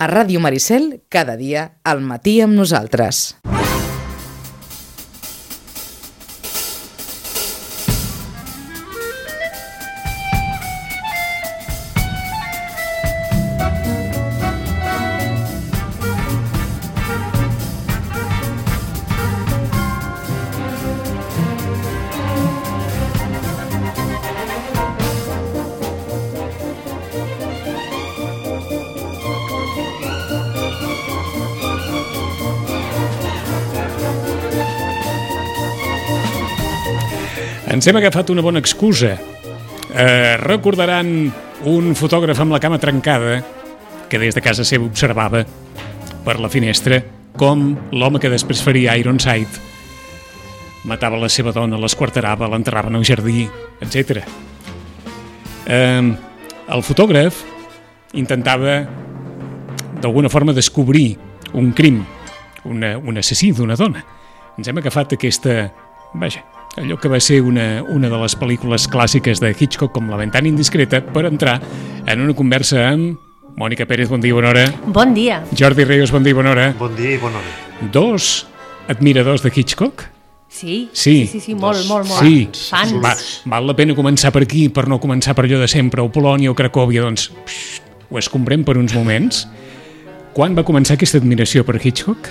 A Ràdio Maricel, cada dia, al matí amb nosaltres. Ens hem agafat una bona excusa. Recordaran un fotògraf amb la cama trencada que des de casa seva observava per la finestra com l'home que després faria Ironside matava la seva dona, l'esquarterava, l'enterrava en el jardí, etc. El fotògraf intentava d'alguna forma descobrir un crim, un assassí d'una dona. Ens hem agafat aquesta... allò que va ser una de les pel·lícules clàssiques de Hitchcock, com La ventana indiscreta, per entrar en una conversa amb Mònica Pérez, bon dia i bona hora. Bon dia. Jordi Ríos, bon dia i bona hora. Bon dia i bona hora. Dos admiradors de Hitchcock? Sí, molt. Sí. Fans. Val la pena començar per aquí, per no començar per allò de sempre, o Polònia o Cracòvia, doncs ho escombrem per uns moments. Quan va començar aquesta admiració per Hitchcock?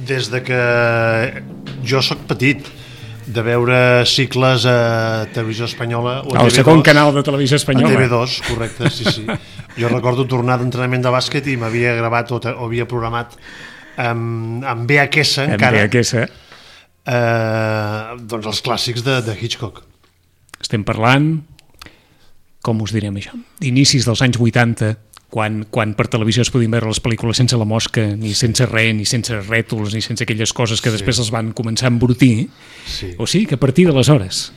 Des de que jo sóc petit, de veure cicles a Televisió Espanyola o a el TV2, segon canal de Televisió Espanyola. a TV2, correcte, sí. Jo recordo tornar d'entrenament de bàsquet i m'havia gravat o havia programat amb VHS encara doncs els clàssics de Hitchcock. Estem parlant, com us direm això, d'inicis dels anys 80, quan per televisió es podien veure les pel·lícules sense la mosca, ni sense res, ni sense rètols, ni sense aquelles coses que després els van començar a embrutir. Sí. O sigui que a partir d'aleshores...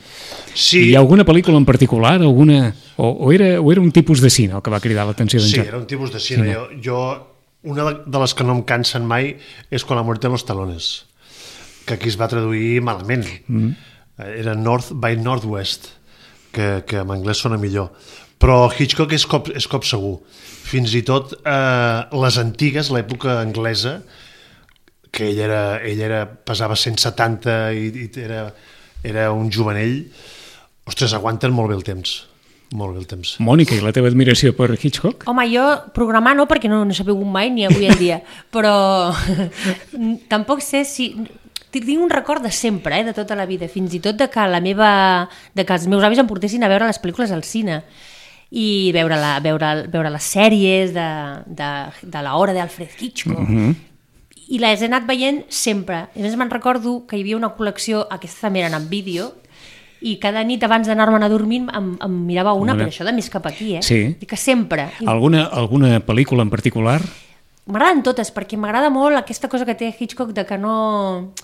Sí. Hi ha alguna pel·lícula en particular? O era un tipus de cine el que va cridar l'atenció d'en Jordi? Sí, era un tipus de cine. Una de les que no em cansen mai és Con la muerte en los talones, que aquí es va traduir malament. Era North by Northwest, que en anglès sona millor. Però Hitchcock és cop segur. Fins i tot les antigues, l'època anglesa, que ell pesava 170 i era un jovenell, ostres, aguanten molt bé el temps. Molt bé el temps. Mònica, i la teva admiració per Hitchcock? Home, jo programar no, perquè no s'ha begut mai ni avui en dia, però tampoc sé si... Tinc un record de sempre, de tota la vida, fins i tot de que els meus avis em portessin a veure les pel·lícules al cine i veure les sèries de l'hora d'Alfred Hitchcock. I les he anat veient sempre. A més, me'n recordo que hi havia una col·lecció, aquestes també eren en vídeo, i cada nit abans d'anar-me'n a dormir em mirava una, però això de més cap aquí, Sí. I que sempre. Alguna pel·lícula en particular? M'agraden totes, perquè m'agrada molt aquesta cosa que té Hitchcock de que no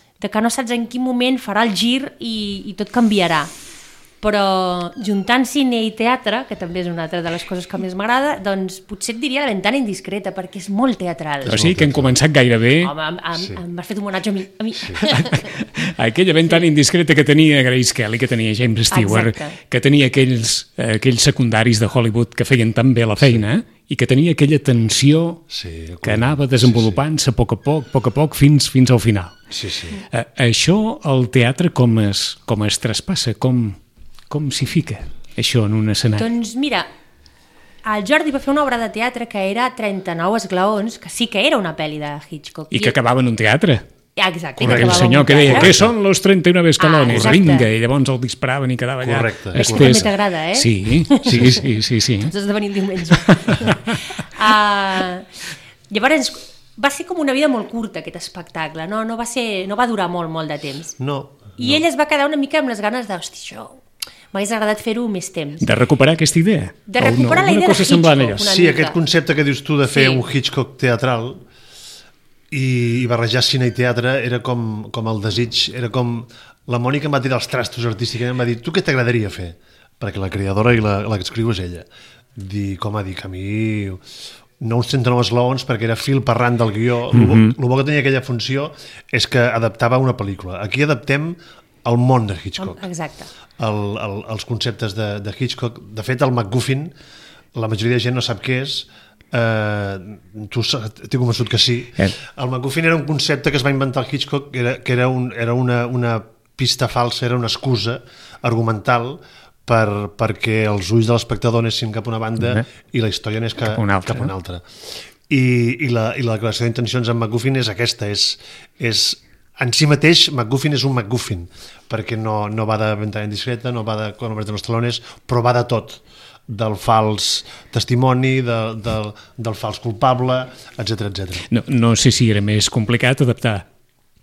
saps en quin moment farà el gir i tot canviarà. Però juntant cine i teatre, que també és una altra de les coses que més m'agrada, doncs potser et diria La ventana indiscreta, perquè és molt teatral. O sigui que hem començat gairebé... Home, m'has fet un homenatge a mi. Sí. Aquella ventana indiscreta que tenia Grace Kelly, que tenia James Stewart, que tenia aquells secundaris de Hollywood que feien tan bé la feina, i que tenia aquella tensió que anava desenvolupant-se a poc a poc, fins al final. Sí. Això, el teatre, com es traspassa? Com s'hi fica això en un escenari? Doncs mira, el Jordi va fer una obra de teatre que era 39 esglaons, que sí que era una pel·li de Hitchcock. I que acabava en un teatre. Exacte. Correcte, el senyor que deia, què són los 39 escalones? Vinga, i llavors el disparaven i quedava allà. Correcte. Aquest també t'agrada, eh? Sí. Ens has de venir el diumenge. Llavors, va ser com una vida molt curta, aquest espectacle. No va durar molt de temps. I ell es va quedar una mica amb les ganes de, hosti, això... M'hagués agradat fer-ho més temps. De recuperar aquesta idea? De recuperar la idea de Hitchcock. Sí, aquest concepte que dius tu de fer un Hitchcock teatral i barrejar cine i teatre era com el desig, era com... La Mònica em va tirar els trastos artístics i em va dir, tu què t'agradaria fer? Perquè la creadora i la que escriu és ella. Dic, a mi... No uns 39 esglaons, perquè era fil per ran del guió. El bo que tenia aquella funció és que adaptava una pel·lícula. Aquí adaptem el món de Hitchcock. Exacte. Els conceptes de Hitchcock. De fet, el MacGuffin, la majoria de gent no sap què és, T'he convençut que sí. El MacGuffin era un concepte que es va inventar el Hitchcock, que era una pista falsa, era una excusa argumental perquè els ulls de l'espectador anessin cap a una banda i la història anés cap a una altra. I la declaració d'intencions en MacGuffin és aquesta, en si mateix MacGuffin és un MacGuffin, perquè no va de ventana indiscreta, no va de Con Hombre de los Talones, però va de tot, del fals testimoni, del fals culpable, etc. No sé si era més complicat adaptar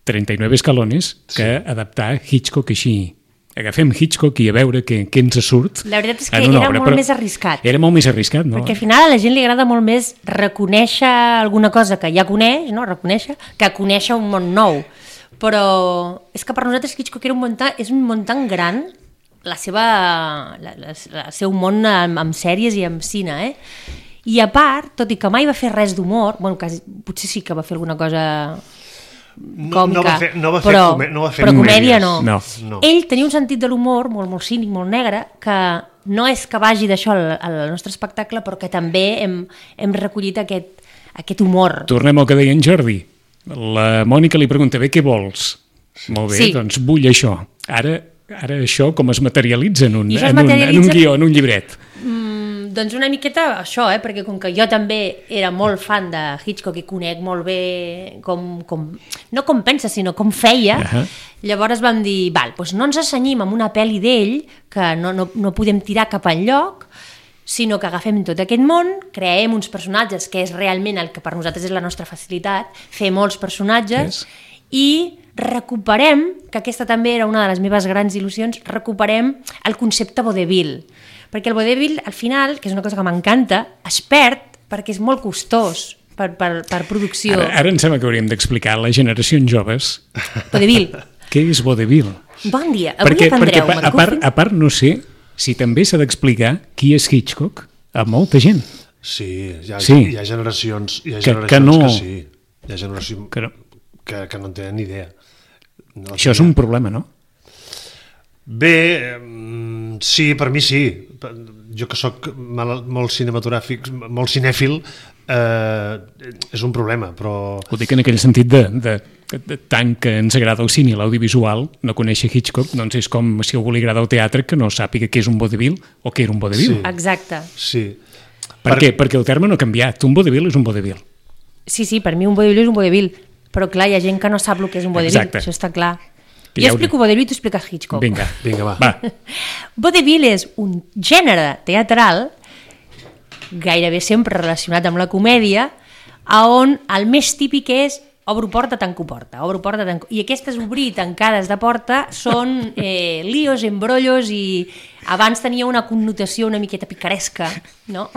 39 escalones que adaptar Hitchcock així. Agafem Hitchcock i a veure què ens surt. La veritat és que era molt més arriscat. Era molt més arriscat, no? Perquè al final a la gent li agrada molt més reconèixer alguna cosa que ja coneix, no? Reconèixer, que conèixer un món nou. Però és que per nosaltres Hitchcock és un món tan gran, el seu món amb sèries i amb cine, I a part, tot i que mai va fer res d'humor, potser sí que va fer alguna cosa còmica, però comèdia no. Ell tenia un sentit de l'humor molt cínic, molt negre, que no és que vagi d'això al nostre espectacle, però que també hem recollit aquest humor. Tornem al que deia en Jordi. La Mònica li pregunta, què vols? Molt bé, doncs vull això. Ara això com es materialitza en un guió, en un llibret? Doncs una miqueta això, perquè com que jo també era molt fan de Hitchcock i conec molt bé no com pensa, sinó com feia, llavors vam dir, doncs no ens assenyim amb una pel·li d'ell, que no podem tirar cap enlloc, sinó que agafem tot aquest món, creem uns personatges, que és realment el que per nosaltres és la nostra facilitat, fer molts personatges, i recuperem, que aquesta també era una de les meves grans il·lusions, recuperem el concepte vodevil. Perquè el vodevil, al final, que és una cosa que m'encanta, es perd perquè és molt costós per producció. Ara em sembla que hauríem d'explicar a les generacions joves vodevil. Què és vodevil? Bon dia, avui aprendreu MacGuffin. A part no sé si també s'ha d'explicar qui és Hitchcock a molta gent. Sí, hi ha generacions que no... sí. Hi ha generacions que no en tenen ni idea. Això és un problema, no? Bé, sí, per mi sí. Jo que sóc molt cinematogràfic, molt cinèfil, és un problema, però... Ho dic en aquell sentit de tant que ens agrada el cine i l'audiovisual, no conèixer Hitchcock, doncs és com si a algú li agrada el teatre que no sàpiga què és un vodevil o què era un vodevil. Sí. Exacte. Sí. Per què? Perquè el terme no ha canviat. Un vodevil és un vodevil. Sí, per mi un vodevil és un vodevil, però clar, hi ha gent que no sap el que és un vodevil, això està clar. Jo explico vodevil i tu expliques Hitchcock. Vinga, va. Vodevil és un gènere teatral gairebé sempre relacionat amb la comèdia, on el més típic és obro porta, tanco porta, i aquestes obrir i tancades de porta són líos, embrollos, i abans tenia una connotació una miqueta picaresca, no?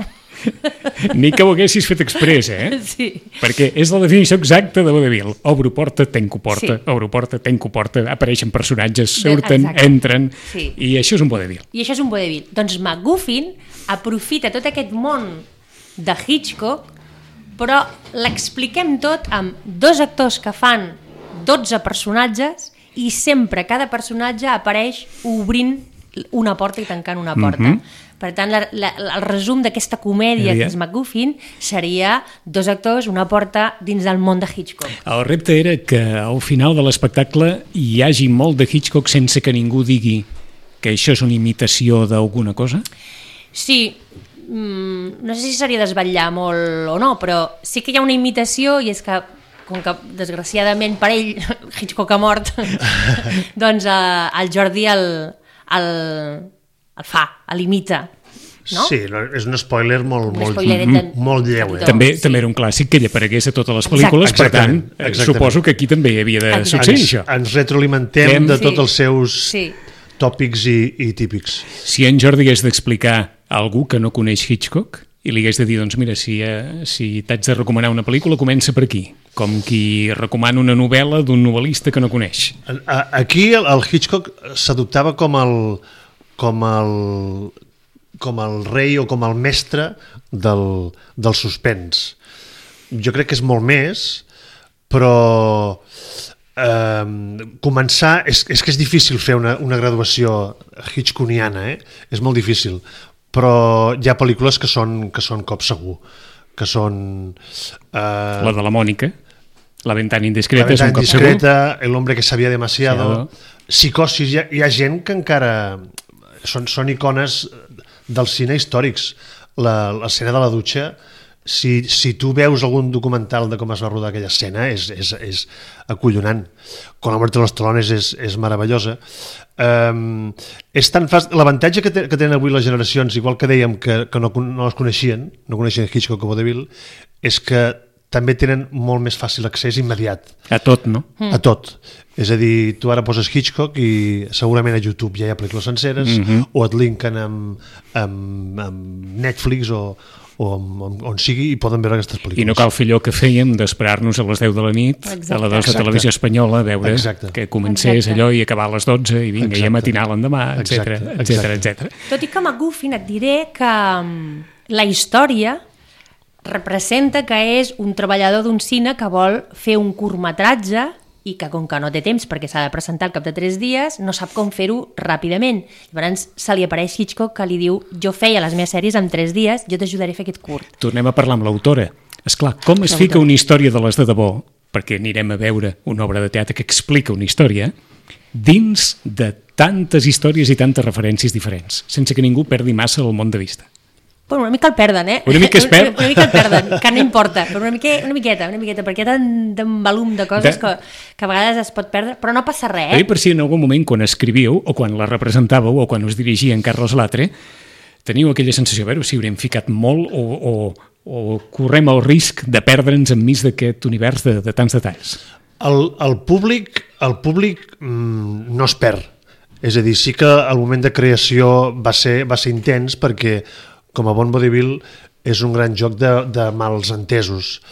Ni que ho haguessis fet express, Sí. Perquè és la definició exacta de vodevil. Obro porta, tanco porta, obro porta, tanco porta, apareixen personatges, surten, entren, i això és un vodevil. Doncs MacGuffin aprofita tot aquest món de Hitchcock, però l'expliquem tot amb 2 actors que fan 12 personatges i sempre cada personatge apareix obrint una porta i tancant una porta. Per tant, el resum d'aquesta comèdia que és MacGuffin seria 2 actors, una porta dins del món de Hitchcock. El repte era que al final de l'espectacle hi hagi molt de Hitchcock sense que ningú digui que això és una imitació d'alguna cosa? Sí, no sé si seria desvetllar molt o no, però sí que hi ha una imitació, i és que com que desgraciadament per ell Hitchcock ha mort, doncs el Jordi el fa, l'imita, no? Sí, és un spoiler molt lleu. També era un clàssic que ell aparegués a totes les pel·lícules, per tant, suposo que aquí també havia de succeir això. Ens retroalimentem de tots els seus tòpics i típics. Si en Jordi hagués d'explicar a algú que no coneix Hitchcock i li hagués de dir, doncs mira, si t'haig de recomanar una pel·lícula, comença per aquí, com qui recomana una novel·la d'un novel·lista que no coneix. Aquí el Hitchcock s'adoptava com el rei o com el mestre del suspens. Jo crec que és molt més, però començar... És que és difícil fer una graduació hitchcockiana, és molt difícil, però hi ha pel·lícules que són cop segur, que són... La de la Mònica, La ventana La indiscreta, és ventana un cop segur. indiscreta, El hombre que sabía demasiado... Psicosis, hi ha gent que encara... Són icones del cine històrics. L'escena de la dutxa, si tu veus algun documental de com es va rodar aquella escena, és acollonant. Con la muerte de los talones és meravellosa. És tan fàcil... L'avantatge que tenen avui les generacions, igual que dèiem que no les coneixien, no coneixien Hitchcock o Vaudeville, és que també tenen molt més fàcil accés immediat. A tot, no? A tot. És a dir, tu ara poses Hitchcock i segurament a YouTube ja hi ha pel·lícules senceres, o et linken amb Netflix o on sigui i poden veure aquestes pel·lícules. I no cal fer allò que fèiem d'esperar-nos a les 10 de la nit a la 2 de Televisió Espanyola a veure que comencés allò i acabar a les 12 i vinga, i a matinal l'endemà, etc. Tot i que McGuffin et diré que la història representa que és un treballador d'un cine que vol fer un curtmetratge i que com que no té temps perquè s'ha de presentar al cap de 3 dies, no sap com fer-ho ràpidament. Llavors se li apareix Hitchcock que li diu jo feia les meves sèries en 3 dies, jo t'ajudaré a fer aquest curt. Tornem a parlar amb l'autora. Esclar, com es fica una història de les de debò, perquè anirem a veure una obra de teatre que explica una història, dins de tantes històries i tantes referències diferents, sense que ningú perdi massa el món de vista. Bueno, una mica el perden, eh? Una mica es perd? Una mica el perden, que no importa, però una miqueta, perquè hi ha tant volum de coses que a vegades es pot perdre, però no passa res, Per si en algun moment, quan escrivíeu, o quan la representàveu, o quan us dirigia en Carles Latre, teniu aquella sensació, a veure si haurem ficat molt o correm el risc de perdre'ns enmig d'aquest univers de tants detalls. El públic no es perd. És a dir, sí que el moment de creació va ser intens perquè com a bon vodevil és un gran joc de mals entesos.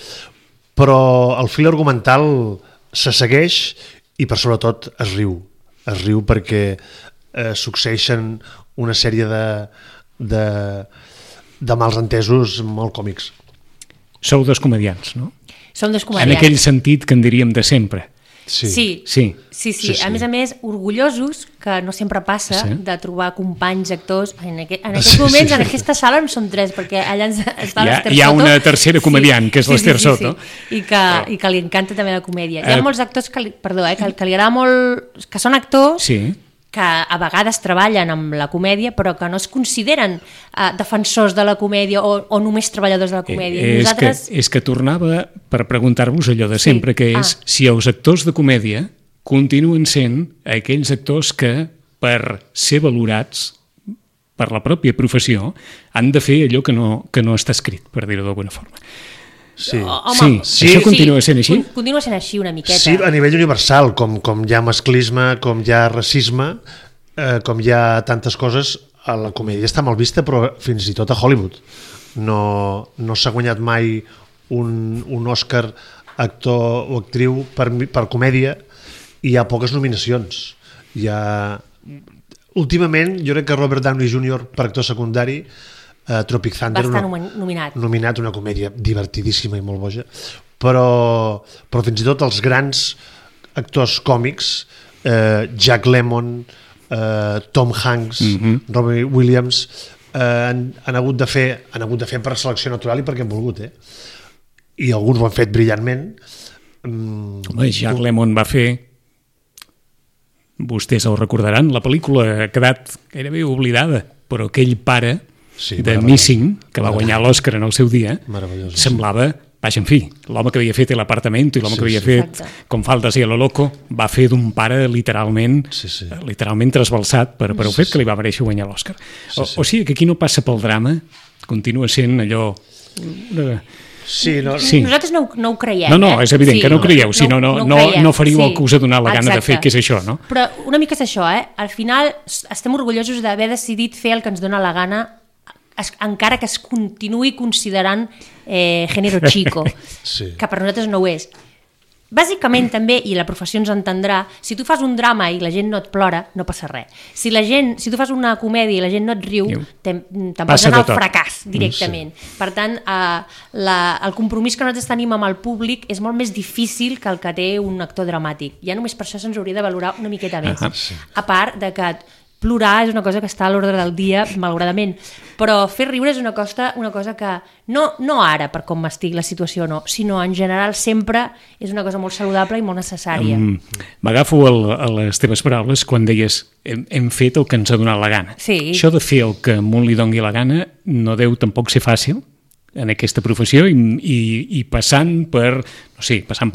Però el fil argumental se segueix i per sobretot es riu. Es riu perquè succeeixen una sèrie de mals entesos molt còmics. Sou dos comediants, no? Som dos comediants. En aquell sentit que en diríem de sempre. Sí. A més, orgullosos, que no sempre passa, de trobar companys, actors. En aquests moments, en aquesta sala en som 3, perquè allà està l'Ester Soto. Hi ha una tercera comediant, que és l'Ester Soto. I que li encanta també la comèdia. Hi ha molts actors que li agrada molt, que són actors, que a vegades treballen amb la comèdia, però que no es consideren defensors de la comèdia o només treballadors de la comèdia. És que tornava per preguntar-vos allò de sempre, que és si els actors de comèdia continuen sent aquells actors que, per ser valorats per la pròpia professió, han de fer allò que no està escrit, per dir-ho d'alguna forma. Sí. Això continua sent així? Continua sent així una miqueta. Sí, a nivell universal, com hi ha masclisme, com hi ha racisme, com hi ha tantes coses, la comèdia està mal vista, però fins i tot a Hollywood. No s'ha guanyat mai un Òscar actor o actriu per comèdia i hi ha poques nominacions. Últimament, jo crec que Robert Downey Jr. per actor secundari Tropic Thunder va estar nominat, una comèdia divertidíssima i molt boja, però fins i tot els grans actors còmics, Jack Lemmon, Tom Hanks, Robin Williams, han hagut de fer per selecció natural i perquè han volgut, i alguns ho han fet brillantment. Jack Lemmon va fer, vostès el recordaran, la pel·lícula ha quedat gairebé oblidada, però aquell pare de Missing, que va guanyar l'Òscar en el seu dia, semblava, en fi, l'home que havia fet l'Apartamento i l'home que havia fet Com faltes i a lo loco, va fer d'un pare literalment trasbalsat per el fet que li va mereixer guanyar l'Òscar. O sigui que aquí no passa pel drama, continua sent allò... Nosaltres no ho creiem. No, és evident que no ho creieu, si no faríeu el que us ha donat la gana de fer, que és això, no? Però una mica és això, al final estem orgullosos d'haver decidit fer el que ens dona la gana, encara que es continuï considerant género chico, que per nosaltres no ho és. Bàsicament també, i la professió ens entendrà, si tu fas un drama i la gent no et plora, no passa res. Si tu fas una comèdia i la gent no et riu, te'n pots anar al fracàs directament. Per tant, el compromís que nosaltres tenim amb el públic és molt més difícil que el que té un actor dramàtic. Ja només per això se'ns hauria de valorar una miqueta més. A part de que plorar és una cosa que està a l'ordre del dia, malauradament, però fer riure és una cosa que no ara, per com m'estic la situació, no, sinó en general sempre és una cosa molt saludable i molt necessària. M'agafo a les teves paraules quan deies hem fet el que ens ha donat la gana. Sí. Això de fer el que a un li doni la gana no deu tampoc ser fàcil en aquesta professió i passant pel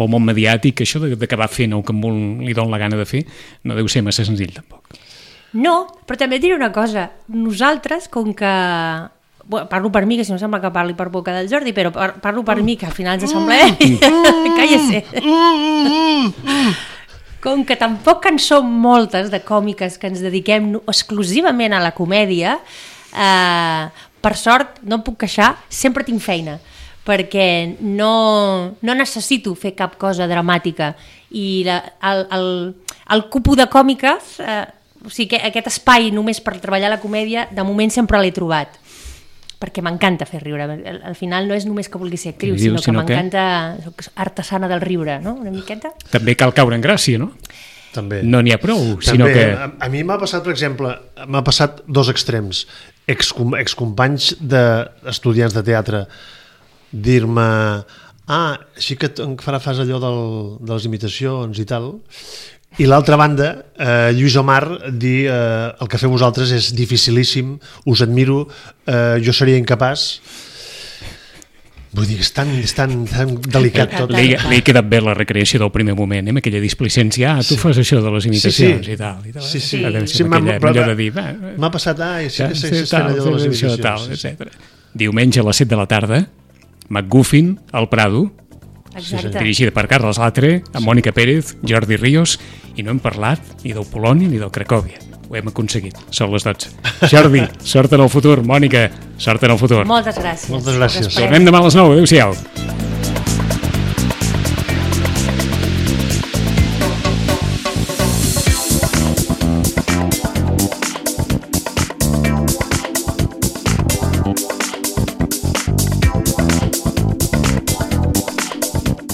món mediàtic, això d'acabar fent el que a un li doni la gana de fer no deu ser massa senzill tampoc. No, però també et diré una cosa. Nosaltres, com que... Bueno, parlo per mi, que si no sembla que parli per boca del Jordi, però parlo per mi, que al final ens sembla... Cállese. Com que tampoc en som moltes de còmiques que ens dediquem exclusivament a la comèdia, per sort, no em puc queixar, sempre tinc feina, perquè no necessito fer cap cosa dramàtica. I el cupo de còmiques... O sigui, que aquest espai només per treballar la comèdia, de moment sempre l'he trobat, perquè m'encanta fer riure. Al final no és només que vulgui ser actriu, sinó que m'encanta, soc artesana del riure, no? Una miqueta. També cal caure en gràcia, no? També. No n'hi ha prou, També. sinó que... A mi m'ha passat, per exemple, dos extrems. Excompanys d'estudiants de teatre dir-me així que fas allò de les imitacions i tal... I l'altra banda, Lluís Omar dir el que feu vosaltres és dificilíssim, us admiro, jo seria incapaç. Vull dir, és tan delicat tot. Li he quedat bé la recreació del primer moment, amb aquella displicència, tu fas això de les imitacions i tal. Sí, m'ha passat, sí que segueixes fent allò de les imitacions. Diumenge a les 7 de la tarda, McGuffin, al Prado, dirigida per Carles Latre, amb Mònica Pérez, Jordi Ríos, i no hem parlat ni del Poloni ni del Cracòvia. Ho hem aconseguit, són les 12. Jordi, sort en el futur. Mònica, sort en el futur. Moltes gràcies. Moltes gràcies. Tornem demà a les 9. Adéu-siau.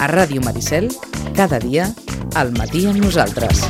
A Ràdio Maricel, cada dia, al matí amb nosaltres.